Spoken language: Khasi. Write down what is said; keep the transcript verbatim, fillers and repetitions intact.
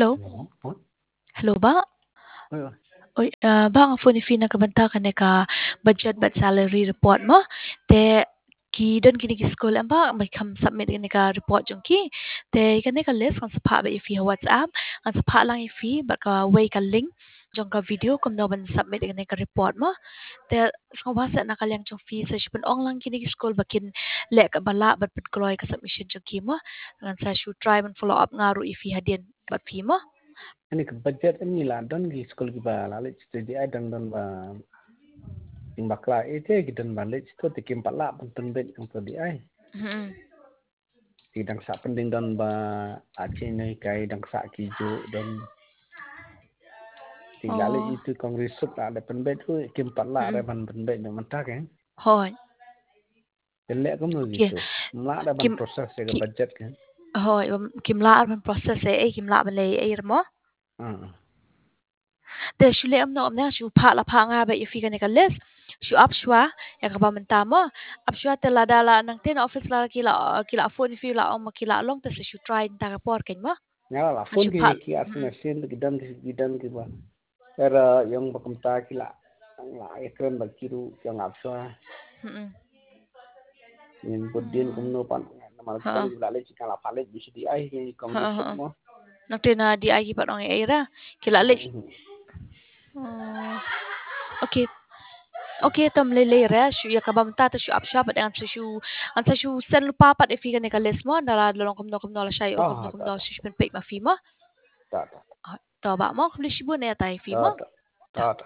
Hello. Hello, Bah. Oi, ah, Bah, nga phone ïa phi na ka bynta kane ka budget bad salary report mo. Te ki don kine ki skul em Bah, ba kham submit kane ka report jong ki. Te kane ka list ngan sa phah beit ïa phi ha WhatsApp, ngan sa phah lang ïa phi bad kawei ka link jong ka video kumno ban submit kane ka report mo. Te sngewbha sa na ka liang jong phi sa shu pynong lang kine ki skul ba kin leh kaba lah bad pynkloi ka submission jong ki mo. Ngan sa shu try ban follow up nga ruh ïa phi hadien bad phi mo. Ani ka budget ani la don ki skul kiba la leh to D I dang don ba, ing bakla ite ki don ba leh to te kim pat lah ban pynbeit ïa to D I. Hmm. Ti dang sa pending don ba achi noi kai dang sa ki ju don. Ti la leh itu kong risuk la da pynbeit tu kim pat lah da ban pynbeit na mata ke. Hoi. Te leh kumno gitu. Mla da ban process ya budget ke. Hoi, kim lah ban process eh, kim lah ban leh eh mo. Te shu leh amno amne shu phah la phah nga ba ïa phi kane ka list. Shu ap shwa ïa kaba mynta mo. Ap shwa te lada la nangte na office la ki la ki la phone ïa phi la ong ma ki la long te sa shu try nta ka por kein mo. Nga la phone ki ki as na sin ki don ki don ki ba. Era ïong ba kumta ki la la ïa kren ba ki ruh ïong ap shwa. Hmm. Nin bud din kumno pan namar ki la leh ki la pha leh bi shi D I ki kong ki suk mo. Nangte na D I ki pat ong ei ra ki la leh. Okay. Okay, tam lei lei ra shu ïa kaba mynta te shu ap shwa bad ngan sa shu ngan sa shu send lypa pat ïa phi kane ka list mo, nda la long kumno kumno la shai o kumno kumno shu pynpeit ma phi mo. To ba mo, khublei shibun ïa tai phi mo. To.